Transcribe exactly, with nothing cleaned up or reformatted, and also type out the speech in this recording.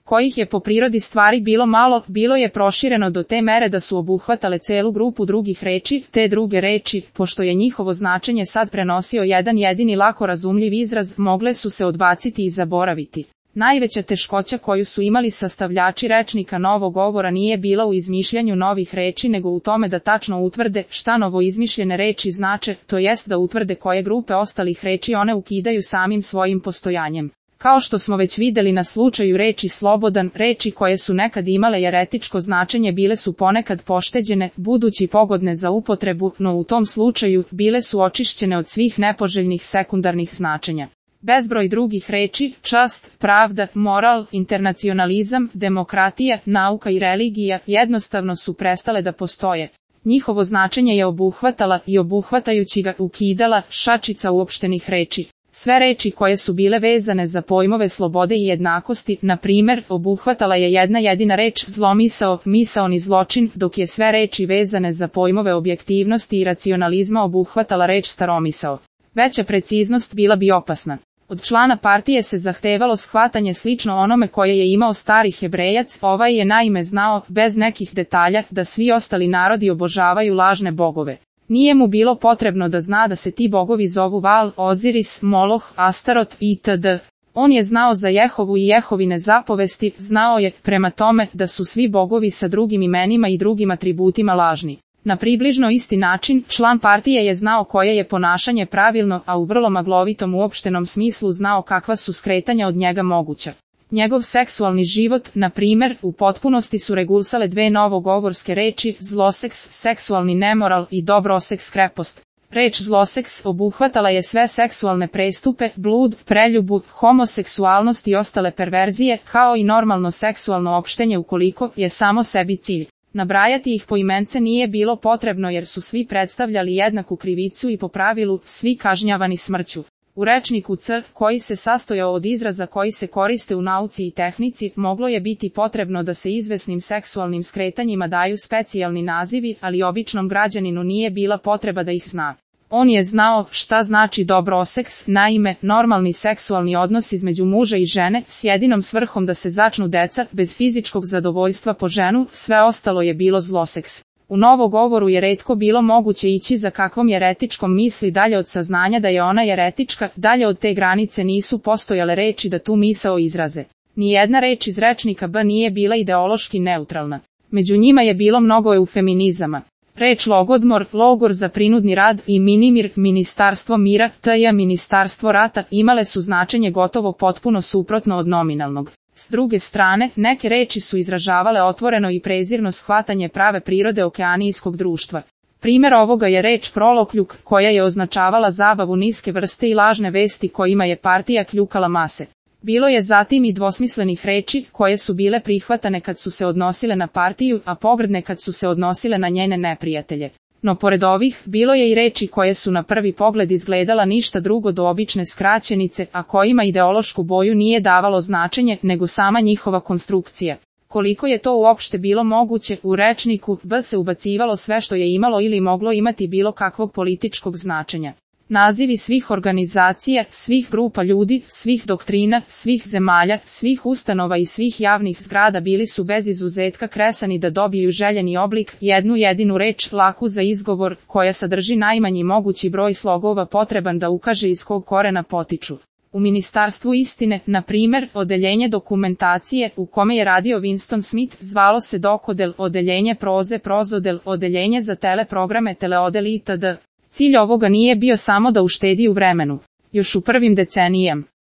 kojih je po prirodi stvari bilo malo, bilo je prošireno do te mere da su obuhvatale celu grupu drugih reči, te druge reči, pošto je njihovo značenje sad prenosio jedan jedini lako razumljiv izraz, mogle su se odbaciti i zaboraviti. Najveća teškoća koju su imali sastavljači rečnika novog govora nije bila u izmišljanju novih reči nego u tome da tačno utvrde šta novo izmišljene reči znače, to jest da utvrde koje grupe ostalih reči one ukidaju samim svojim postojanjem. Kao što smo već videli na slučaju reči slobodan, reči koje su nekad imale jeretičko značenje bile su ponekad pošteđene, budući pogodne za upotrebu, no u tom slučaju bile su očišćene od svih nepoželjnih sekundarnih značenja. Bezbroj drugih reči, čast, pravda, moral, internacionalizam, demokratija, nauka i religija jednostavno su prestale da postoje. Njihovo značenje je obuhvatala i obuhvatajući ga ukidala šačica uopštenih reči. Sve reči koje su bile vezane za pojmove slobode i jednakosti, na primer, obuhvatala je jedna jedina reč zlomisao, misaoni zločin, dok je sve reči vezane za pojmove objektivnosti i racionalizma obuhvatala reč staromisao. Veća preciznost bila bi opasna. Od člana partije se zahtevalo shvatanje slično onome koje je imao stari Hebrejac, ovaj je naime znao, bez nekih detalja, da svi ostali narodi obožavaju lažne bogove. Nije mu bilo potrebno da zna da se ti bogovi zovu Val, Oziris, Moloh, Astarot itd. On je znao za Jehovu i Jehovine zapovesti, znao je, prema tome, da su svi bogovi sa drugim imenima i drugim atributima lažni. Na približno isti način, član partije je znao koje je ponašanje pravilno, a u vrlo maglovitom uopštenom smislu znao kakva su skretanja od njega moguća. Njegov seksualni život, na primer, u potpunosti su regulisale dve novogovorske reči, zloseks, seksualni nemoral i dobroseks, krepost. Reč zloseks obuhvatala je sve seksualne prestupe, blud, preljubu, homoseksualnost i ostale perverzije, kao i normalno seksualno opštenje ukoliko je samo sebi cilj. Nabrajati ih poimence nije bilo potrebno jer su svi predstavljali jednaku krivicu i po pravilu svi kažnjavani smrću. U rečniku C, koji se sastojao od izraza koji se koriste u nauci i tehnici, moglo je biti potrebno da se izvesnim seksualnim skretanjima daju specijalni nazivi, ali običnom građaninu nije bila potreba da ih zna. On je znao šta znači dobroseks, naime, normalni seksualni odnos između muža i žene, s jedinom svrhom da se začnu deca, bez fizičkog zadovoljstva po ženu, sve ostalo je bilo zloseks. U novogovoru je retko bilo moguće ići za kakvom jeretičkom misli dalje od saznanja da je ona jeretička, dalje od te granice nisu postojale reči da tu misao izraze. Nijedna reč iz rečnika B nije bila ideološki neutralna. Među njima je bilo mnogo eufeminizama. Reč logodmor, logor za prinudni rad i minimir, ministarstvo mira, tj. ministarstvo rata, imale su značenje gotovo potpuno suprotno od nominalnog. S druge strane, neke reči su izražavale otvoreno i prezirno shvatanje prave prirode okeanijskog društva. Primjer ovoga je reč prolokljuk, koja je označavala zabavu niske vrste i lažne vesti kojima je partija kljukala mase. Bilo je zatim i dvosmislenih reči, koje su bile prihvatane kad su se odnosile na partiju, a pogrdne kad su se odnosile na njene neprijatelje. No pored ovih, bilo je i reči koje su na prvi pogled izgledala ništa drugo do obične skraćenice, a kojima ideološku boju nije davalo značenje, nego sama njihova konstrukcija. Koliko je to uopšte bilo moguće, u rečniku B se ubacivalo sve što je imalo ili moglo imati bilo kakvog političkog značenja. Nazivi svih organizacija, svih grupa ljudi, svih doktrina, svih zemalja, svih ustanova i svih javnih zgrada bili su bez izuzetka kresani da dobiju željeni oblik, jednu jedinu reč, laku za izgovor, koja sadrži najmanji mogući broj slogova potreban da ukaže iz kog korena potiču. U Ministarstvu istine, na primjer, odeljenje dokumentacije, u kome je radio Winston Smith, zvalo se dokodel, odeljenje proze, prozodel, odeljenje za teleprograme, teleodel itd. Cilj ovoga nije bio samo da uštedi u vremenu. Još u prvim decenijama